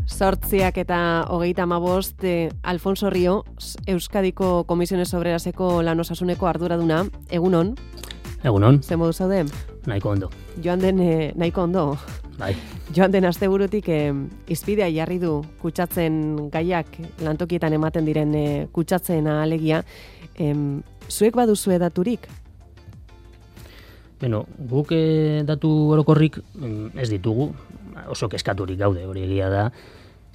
8:35, Alfonso Rio, Euskadiko Komisiones Obreraseko lan osasuneko arduraduna, egunon? Egunon. Ze modu zaude? Nahiko ondo. Joan den nahiko ondo. Bai. Joan den asteburutik izpidea jarri du kutsatzen gaiak lantokietan ematen diren kutsatzen alegia. Zuek baduzue daturik? Beno, guk datu orokorrik ez ditugu, oso kezkaturik gaude, hori egia da.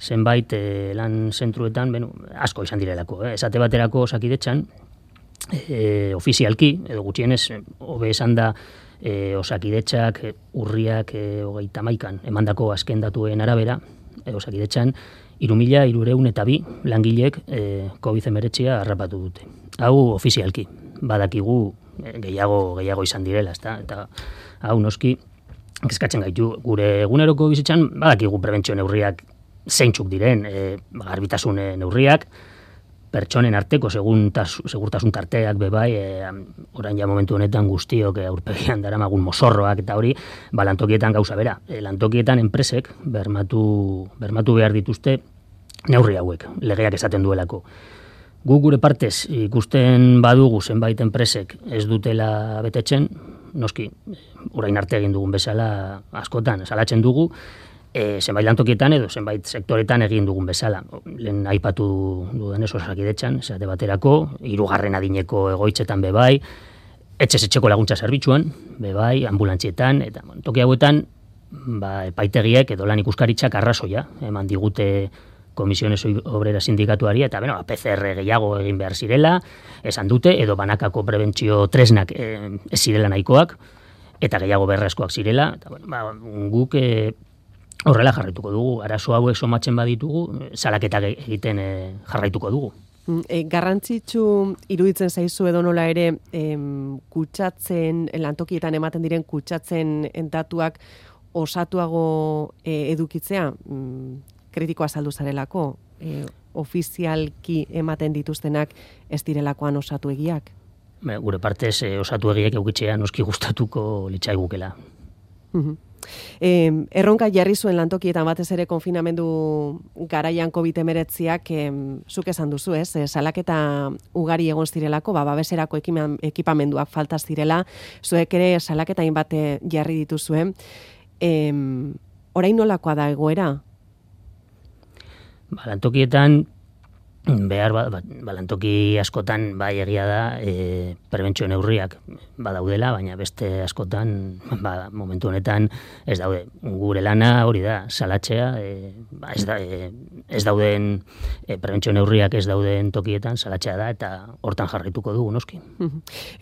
Zenbait lan zentruetan, asko izan direlako. Esate baterako Osakidetzan, ofizialki, edo gutxienez, hobe esan da, Osakidetzak urriak 31an emandako azken datuen arabera, Osakidetzan 3.302 langilek COVID-19 harrapatu dute. Hau ofizialki, badakigu gehiago izan direla, eta hau noski kezkatzen gaitu. Gure eguneroko bizitzan badakigu prebentzio neurriak zeintzuk diren, garbitasun neurriak, pertsonen arteko segurtasun tarteak bebai, orain ja momentu honetan guztiok aurpegian daramagun mozorroak eta hori, lantokietan gauza bera. Lantokietan enpresek bermatu behar dituzte neurri hauek, legeak esaten duelako. Gu gure partez ikusten badugu zenbait enpresek ez dutela betetzen, noski, orain arte egin dugun bezala askotan, salatzen dugu, zenbait lantokietan edo zenbait sektoretan egin dugun bezala. Lehen aipatu duen Osakidetzan, esate baterako, 3. adineko egoitzetan bebai, etxeko laguntza zerbitzuan, bebai, ambulantzietan, eta toki hauetan, epaitegiek edo lan ikuskaritzak arrazoia, eman digute Komisiones Obrera Sindikatuari, eta PCR gehiago egin behar zirela, esan dute, edo banakako prebentzio tresnak ez zirela nahikoak, eta gehiago beharrezkoak zirela, eta guk horrela jarraituko dugu, arazo hauek somatzen baditugu, salaketak egiten jarraituko dugu. Garrantzitsu iruditzen zaizu edo nola ere kutsatzen, lantokietan ematen diren kutsatzen datuak osatuago edukitzea, kritikoa azaldu zarelako, ofizialki ematen dituztenak ez direlakoan osatu egiak? Gure partez osatu egiak eukitzea noski gustatuko litzaigukela. Erronka jarri zuen lantokietan batez ere konfinamendu garaian COVID-19ak zuk esan duzu, ez? Salaketa ugari egon zirelako, babeserako ekipamenduak falta zirela, zuek ere salaketa hainbat jarri dituzue. Orain nolakoa da egoera? Lantokietan lantoki askotan bai egia da prebentzio neurriak badaudela, baina beste askotan momentu honetan ez daude. Gure lana hori da, salatzea, ez dauden prebentzio neurriak ez dauden tokietan salatzea da, eta hortan jarraituko dugu noski.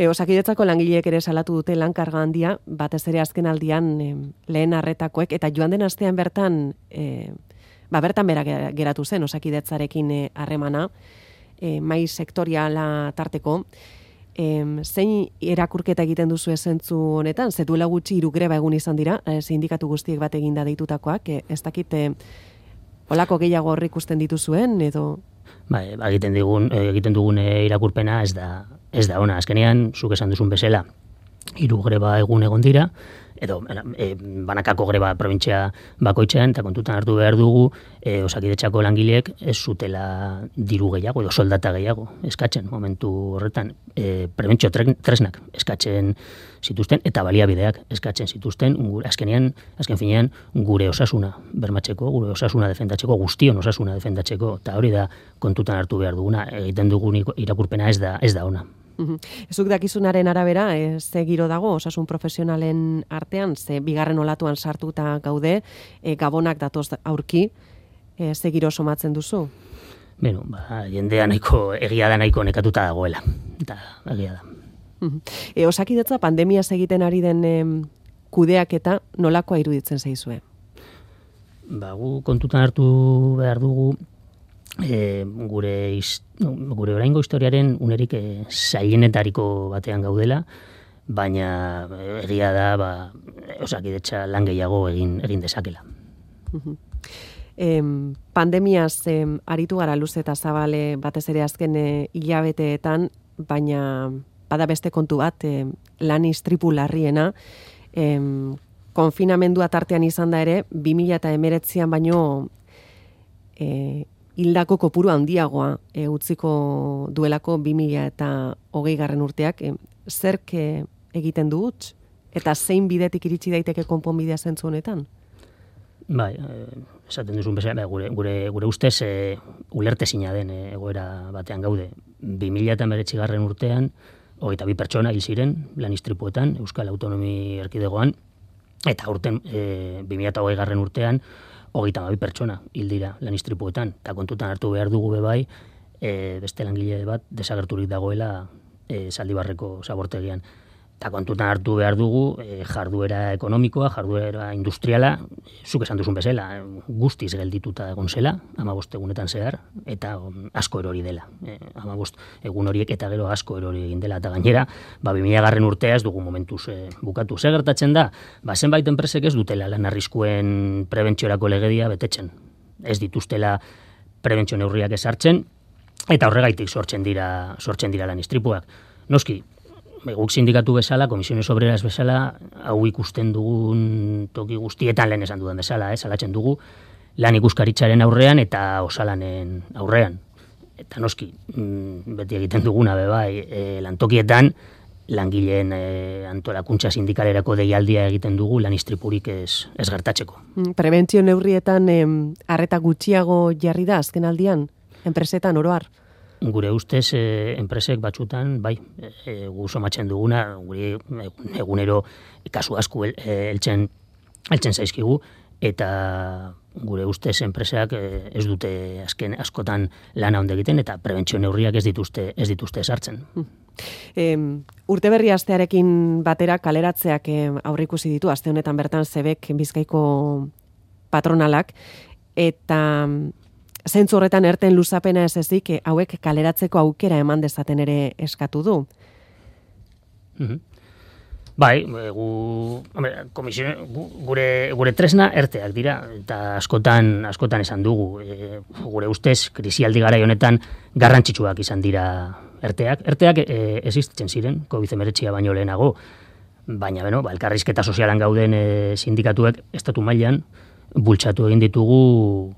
Osakidetzako langileek ere salatu dute lan karga handia, batez ere azken aldian lehen arretakoek, eta joan den astean bertan bertan bera geratu zen Osakidetzarekin harremana, mai sektoriala tarteko. Zein erakurketa egiten duzu zentzu honetan? Ze duela gutxi 3 greba egun izan dira, sindikatu guztiek bat eginda deitutakoak, ez dakit holako gehiago horri ikusten dituzuen, edo? Egiten dugun irakurpena ez da ona. Azkenean, zuk esan duzun bezala, 3 greba egun egon dira, edo banakako greba probintzia bakoitzean, eta kontutan hartu behar dugu Osakidetzako langileek ez zutela diru gehiago edo soldata gehiago eskatzen momentu horretan. Prebentzio tresnak eskatzen zituzten eta baliabideak eskatzen zituzten, azken finean gure osasuna bermatzeko, gure osasuna defendatzeko, guztion osasuna defendatzeko, eta hori da kontutan hartu behar duguna, egiten dugun irakurpena ez da ona. Zuk dakizunaren arabera, ze giro dago osasun profesionalen artean, ze bigarren olatuan sartuta gaude, gabonak datoz aurki, ze giro somatzen duzu? Jendea egia da nahiko nekatuta dagoela, eta egia da. Osakidetza pandemia egiten ari den kudeaketa nolakoa iruditzen zaizue? Gu kontutan hartu behar dugu, gure oraingo historiaren unerik zailenetariko batean gaudela, baina egia da Osakidetza lan gehiago egin dezakela. Pandemiaz aritu gara luze eta zabale batez ere azken hilabeteetan, baina bada beste kontu bat, lan istripu larriena, konfinamendua tartean izan da ere, 2019an baino hildako kopuru handiagoa utziko duelako 2020 urteak, zerk egiten du huts? Eta zein bidetik iritsi daiteke konponbidea zentzu honetan? Bai, esaten duzun bezala, gure ustez ulertezina den egoera batean gaude. 2019 urtean, 22 pertsona hil ziren lan istripuetan Euskal Autonomi Erkidegoan, eta urten 2020 urtean 32 pertsona hil dira lan istripuetan, eta kontutan hartu behar dugu bebai, beste langile bat desagerturik dagoela Zaldibarreko zabortegian. Eta kontutan hartu behar dugu jarduera ekonomikoa, jarduera industriala, zuk esan duzun bezala, guztiz geldituta egon zela, 15 egunetan zehar, eta asko erori dela. 15 egun horiek eta gero asko erori egin dela, eta gainera, 2000 urtea ez dugu momentuz bukatu. Zer gertatzen da? Zenbait enpresek ez dutela lan arriskuen prebentziorako legedia betetzen. Ez dituztela prebentzio neurriak ezartzen, eta horregaitik sortzen dira lan istripuak. Noski, guk sindikatu bezala, Komisiones Obreras bezala, hau ikusten dugun toki guztietan lehen esan dudan bezala, salatzen dugu, lan ikuskaritzaren aurrean eta osalanen aurrean. Eta noski, beti egiten duguna bebai, lantokietan, langileen antolakuntza sindikalerako deialdia egiten dugu lan istripurik ez gertatzeko. Prebentzio neurrietan arreta gutxiago jarri da azken aldian, enpresetan oroar? Gure ustez, enpresek batzutan, bai, gu somatzen duguna, gure egunero kasu asko heltzen zaizkigu, eta gure ustez enpresak ez dute azken askotan lana ondo egiten, eta prebentzio neurriak ez dituzte sartzen. Urteberri astearekin batera kaleratzeak aurreikusi ditu, aste honetan bertan Zebek Bizkaiko patronalak, eta zentzu horretan erten luzapena ez ezik, hauek kaleratzeko aukera eman dezaten ere eskatu du. Bai, gure tresna erteak dira, eta askotan esan dugu. Gure ustez, krisialdi garai honetan garrantzitsuak izan dira erteak. Erteak existitzen ziren, COVID-19 baino lehenago, baina, elkarrizketa sozialan gauden sindikatuek estatu mailan bultzatu egin ditugu,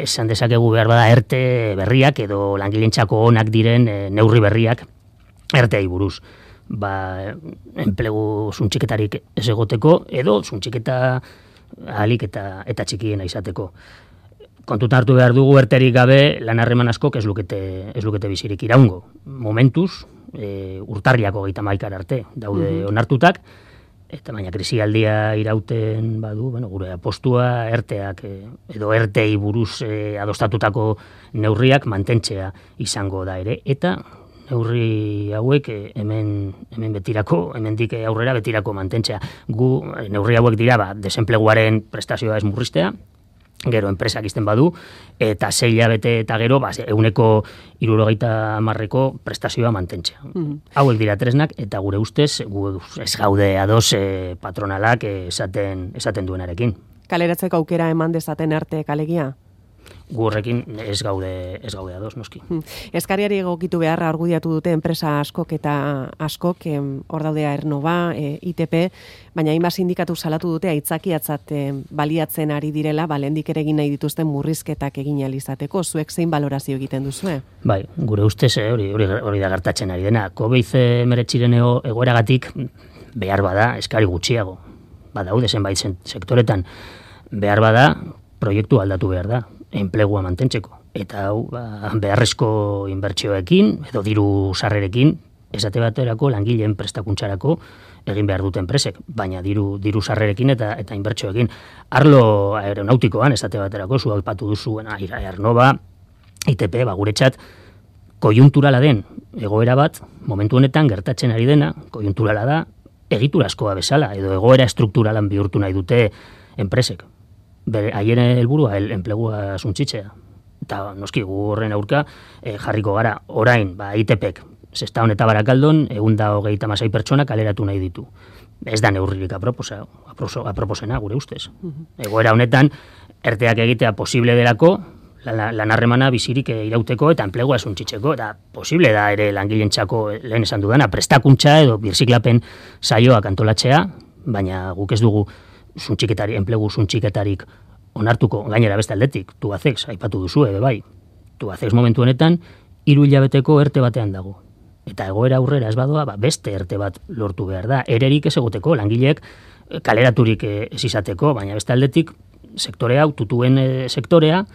esan dezakegu behar bada erte berriak edo langilentzako onak diren neurri berriak erteai buruz. Enplegu zuntxiketarik ez egoteko edo zuntxiketa ahalik eta txikiena izateko. Kontutan hartu behar dugu erterik gabe lan harreman askok ez lukete bizirik iraungo. Momentuz, urtarriak 31 arte daude onartutak, eta baina krisialdia irauten badu, gure apostua erteak edo ertei buruz adostatutako neurriak mantentzea izango da ere, eta neurri hauek hemen betirako, hemendik aurrera betirako mantentzea. Neurri hauek dira, desenpleguaren prestazioa ez murriztea, gero enpresak izten badu, eta 6 hilabete eta gero, 170ko prestazioa mantentzea. Hauek dira tresnak, eta gure ustez, ez gaude ados patronalak esaten duenarekin. Kaleratzeko aukera eman dezaten arte kalegia? Gu horrekin ez gaude ados, noski. Eskariari egokitu beharra argudiatu dute enpresa askok eta askok, hor daudea Ernova, ITP, baina hainbat sindikatu salatu dute aitzakiatzat baliatzen ari direla, lehendik ere egin nahi dituzten murrizketak egin ahal izateko. Zuek zein balorazio egiten duzue? Bai, gure ustez hori da gertatzen ari dena. COVID-19 egoeragatik behar bada eskari gutxiago. Badaude zenbait sektoretan behar bada proiektu aldatu behar da, enplegua mantentzeko. Eta hau, beharrezko inbertsioekin, edo diru sarrerekin, esate baterako langileen prestakuntzarako egin behar dute enpresek, baina diru sarrerekin eta inbertsioekin. Arlo aeronautikoan, esate baterako, zu aipatu duzuen Ernova, ITP, guretzat, kojunturala den egoera bat, momentu honetan gertatzen ari dena, kojunturala da, egiturazkoa bezala, edo egoera estrukturalan bihurtu nahi dute enpresek. Haien helburua enplegua suntsitzea. Eta noski gu horren aurka jarriko gara orain ITPek Sestaon eta Barakaldon 126 pertsona kaleratu nahi ditu. Ez da neurririk aproposena gure ustez. Egoera honetan erteak egitea posible delako lan harremana bizirik irauteko eta enplegua suntsitzeko, eta posible da ere langilentzako lehen esan dudana prestakuntza edo birziklapen saioak antolatzea, baina guk ez dugu enplegu suntxiketarik onartuko, gainera beste aldetik, Tubacex, aipatu duzu, bai, Tubacex momentu honetan, 3 hilabeteko erte batean dago. Eta egoera aurrera ez badoa, beste erte bat lortu behar da. Ererik ez egoteko, langileek kaleraturik ez izateko, baina beste aldetik, sektore hau, tutuen sektorea,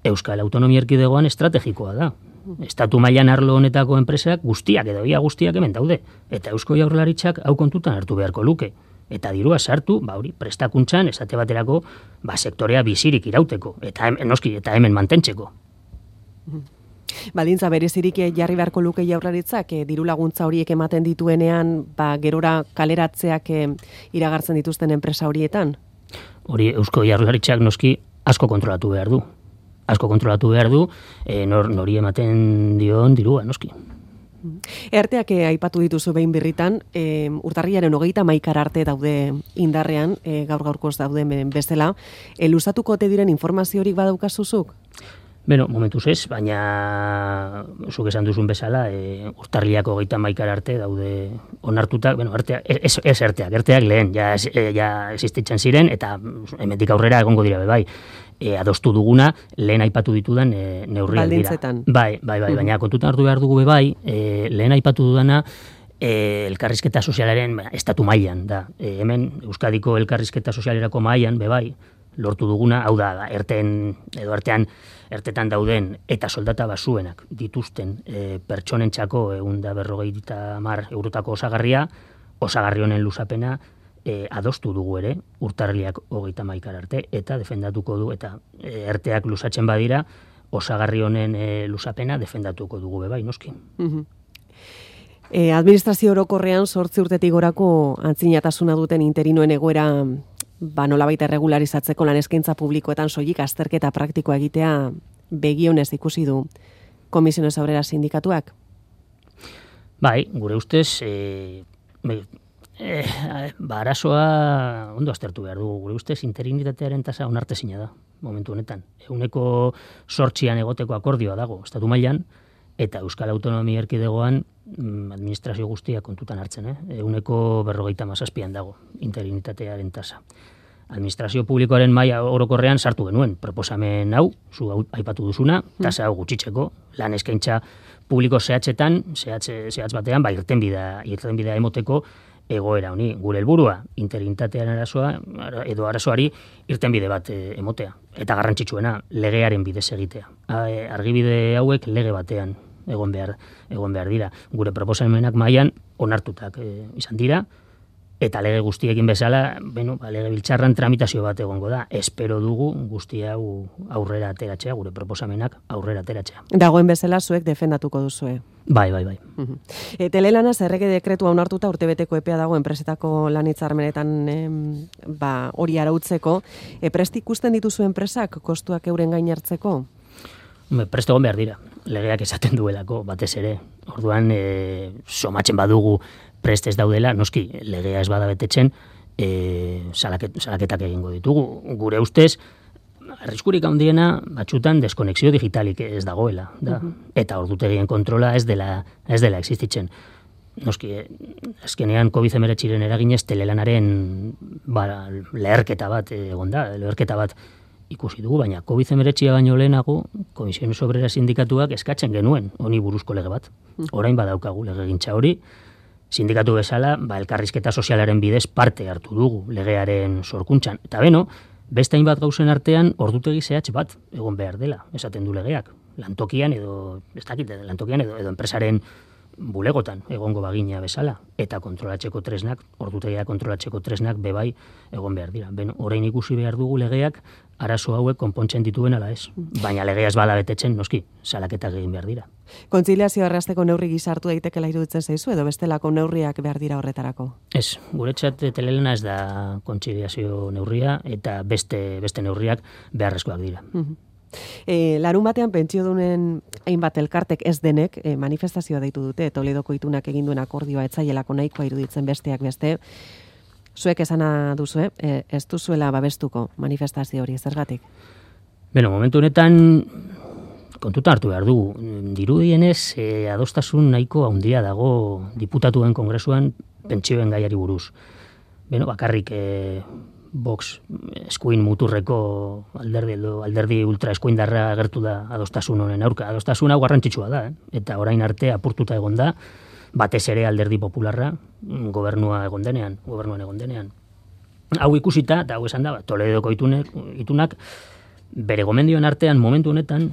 Euskal Autonomia Erkidegoan estrategikoa da. Estatu mailan arlo honetako enpresak guztiak edo ia guztiak hemen daude. Eta Eusko Jaurlaritzak hau kontutan hartu beharko luke. Eta dirua sartu, hori, prestakuntzan, esate baterako, sektorea bizirik irauteko. Eta noski, eta hemen mantentzeko. Baldintza berezirik jarri beharko luke Jaurlaritzak, diru laguntza horiek ematen dituenean, gerora kaleratzeak iragartzen dituzten enpresa horietan? Hori Eusko Jaurlaritzak noski asko kontrolatu behar du. Asko kontrolatu behar du, nori ematen dion dirua, noski. Erteak aipatu dituzu behin birritan, urtarrilaren 30 arte daude indarrean, gaur-gaurkoz dauden bezala. Luzatuko ote diren informaziorik badaukazuzuk? Beno, momentuz ez, baina zuk esan duzun bezala, urtarrilako 30 arte daude onartutak, ez erteak lehen, ja existitzen ziren, eta hemendik aurrera egongo dira bai. Adostu duguna, lehen aipatu ditudan neurriak dira. Baldintzetan. Bai, baina kontutan hartu behar dugu bai, lehen aipatu dudana, elkarrizketa sozialaren estatu mailan da. Hemen Euskadiko elkarrizketa sozialerako mailan bai, lortu duguna, hau da, ertetan dauden eta soldata basuenak dituzten pertsonentzako 150 eurotako osagarri honen luzapena adostu dugu ere, urtarrilak 30 arte, eta defendatuko du, eta erteak luzatzen badira, osagarri honen luzapena defendatuko dugu bai, noski. Administrazio orokorrean 8 urtetik gorako antzinatasuna duten interinoen egoera nolabait erregularizatzeko lan eskaintza publikoetan soilik azterketa praktikoa egitea begionez ikusi du Comisiones Obreras sindikatuak? Bai, gure ustez, arazoa ondo aztertu behar dugu. Gure ustez interinitatearen tasa onartezina da, momentu honetan. 8% egoteko akordioa dago, estatu mailan, eta Euskal Autonomia Erkidegoan administrazio guztia kontutan hartzen, 47% dago interinitatearen tasa. Administrazio publikoaren maila orokorrean sartu genuen proposamen hau, zu aipatu duzuna, tasa hau gutxitzeko, lan eskaintza publiko zehatz batean, irtenbidea emoteko egoera honi. Gure helburua interinitatearen arazoari irtenbide bat emotea. Eta garrantzitsuena, legearen bidez egitea. Argibide hauek lege batean egon behar dira. Gure proposamenak mailan onartutak izan dira, eta lege guztiekin bezala, lege biltzarran tramitazio bat egongo da. Espero dugu guzti hau aurrera ateratzea, gure proposamenak aurrera ateratzea. Dagoen bezala zuek defendatuko duzue. Bai. Telelanaz errege dekretua onartuta urtebeteko epea dago enpresetako lan hitzarmenetan hori arautzeko. Prest ikusten dituzu enpresak kostuak euren gain hartzeko? Prest egon behar dira. Legeak esaten duelako, batez ere. Orduan, somatzen badugu prest ez daudela, noski, legea ez bada betetzen, salaketak egingo ditugu. Gure ustez, arriskurik handiena batzutan deskonexio digitalik ez dagoela. Da. Eta ordutegien kontrola ez dela existitzen. Noski, azkenean COVID-19 eraginez telelanaren leherketa bat egon da, leherketa bat ikusi dugu, baina COVID-19 baino lehenago Comisiones Obreras sindikatuak eskatzen genuen honi buruzko lege bat. Orain badaukagu legegintza hori, sindikatu bezala, elkarrizketa sozialaren bidez parte hartu dugu legearen sorkuntzan. Eta beste hainbat gauzen artean ordutegi zehatz bat egon behar dela, esaten du legeak. Lantokian edo enpresaren bulegotan egongo bagina bezala, eta kontrolatzeko tresnak, ordutegia kontrolatzeko tresnak bebai egon behar dira. Orain ikusi behar dugu legeak arazo hauek konpontzen dituen ala ez. Baina legea ez bada betetzen, noski, salaketak egin behar dira. Kontziliazioa errazteko neurri gisa hartu daitekela iruditzen zaizu edo bestelako neurriak behar dira horretarako? Ez, guretzat telelana ez da kontziliazio neurria eta beste neurriak beharrezkoak dira. Larun batean pentsiodunen hainbat elkartek ez denek manifestazioa deitu dute, Toledoko itunak egin duen akordioa etzaielako nahikoa iruditzen besteak beste. Zuek esana duzu, ez duzuela babestuko manifestazio hori, zergatik? Momentu honetan kontutan hartu behar dugu. Dirudienez, adostasun nahiko handia dago diputatuen kongresuan pentsioen gaiari buruz. Bakarrik Vox eskuin muturreko alderdi ultra eskuindarra agertu da adostasun honen aurka. Adostasun hau garrantzitsua da, eta orain arte apurtuta egon da, batez ere alderdi popularra gobernuan egon denean. Hau ikusita, eta hau esan da, Toledoko itunak, bere gomendioen artean momentu honetan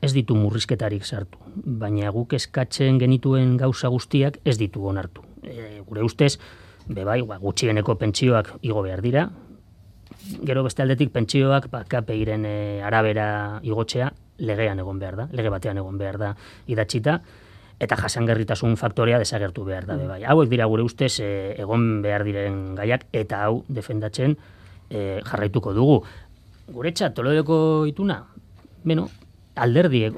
ez ditu murrizketarik sartu, baina guk eskatzen genituen gauza guztiak ez ditu onartu. Gure ustez, gutxieneko pentsioak igo behar dira, gero beste aldetik pentsioak KPIren arabera igotzea legean egon behar da, lege batean egon behar da idatzita, eta jasangarritasun faktorea desagertu behar da. Hauek dira gure ustez egon behar diren gaiak, eta hau defendatzen jarraituko dugu. Guretzat, Toledoko ituna, alderdiek,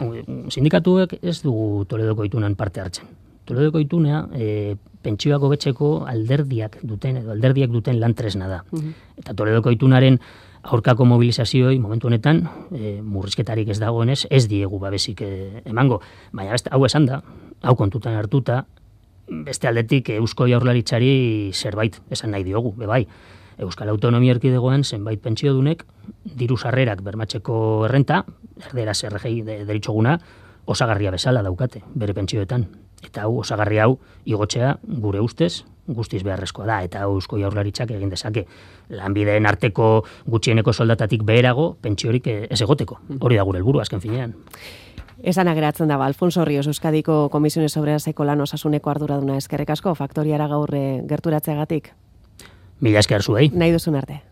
sindikatuek ez dugu Toledoko itunan parte hartzen. Toledoko ituna pentsioak hobetzeko alderdiak duten lan tresna da. Eta Toledoko itunaren aurkako mobilizazioei momentu honetan murrizketarik ez dagoenez ez diegu babesik emango. Baina hau esan da, hau kontutan hartuta, beste aldetik Eusko Jaurlaritzari zerbait esan nahi diogu, Euskal Autonomia Erkidegoan zenbait pentsiodunek diru sarrerak bermatzeko errenta, erderaz RGI deritzoguna, osagarria bezala daukate, bere pentsioetan. Eta hau, osagarri hau, igotzea gure ustez, guztiz beharrezkoa da, eta hau Eusko Jaurlaritzak egin dezake. Lanbideen arteko gutxieneko soldatatik beherago, pentsiorik ez egoteko. Hori da gure helburua azken finean. Esan ageratzen da, Alfonso Ríos, Euskadiko Komisiones Obreraseko lan osasuneko arduraduna, eskerrik asko, faktoriara gaur gerturatzeagatik. Mila esker zuei. Nahi duzun arte.